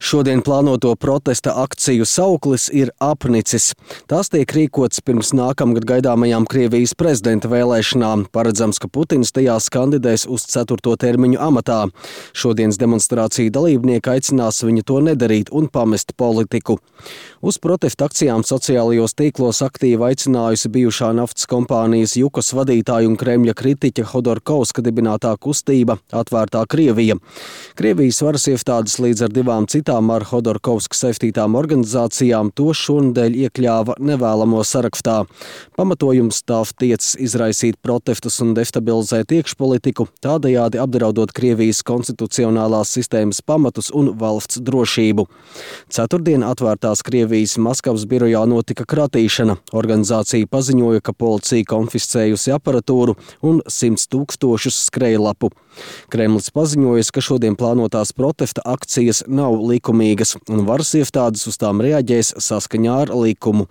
Šodien plānoto protesta akciju sauklis ir apnicis. Tās tiek rīkots pirms nākamgad gaidāmajām Krievijas prezidenta vēlēšanām. Paredzams, ka Putins tajās kandidēs uz 4. termiņu amatā. Šodienas demonstrāciju dalībnieki aicinās viņu to nedarīt un pamest politiku. Uz protesta akcijām sociālajos tīklos aktīvi aicinājusi bijušā naftas kompānijas Jukos vadītāja un Kremļa kritiķa Hodorkovska dibinātā kustība Atvērtā Krievija. Krievijas varas iestādes līdz ar divām citām ar Hodorkovska saistītām organizācijām to šonedēļ iekļāva nevēlamo sarakstā. Pamatojums tāv tiecas izraisīt protestus un destabilizēt iekšpolitiku, tādējādi apdraudot Krievijas konstitucionālās sistēmas pamatus un valsts drošību. Ceturtdien Atvērtās Krievijas Maskavas birojā notika kratīšana. Organizācija paziņoja, ka policija konfiscējusi aparatūru un 100 000 skrejlapu. Kremlis paziņojas, ka šodien plānotās protesta akcijas nav likumīgas un varas iestādes uz tām reaģēs saskaņā ar likumu.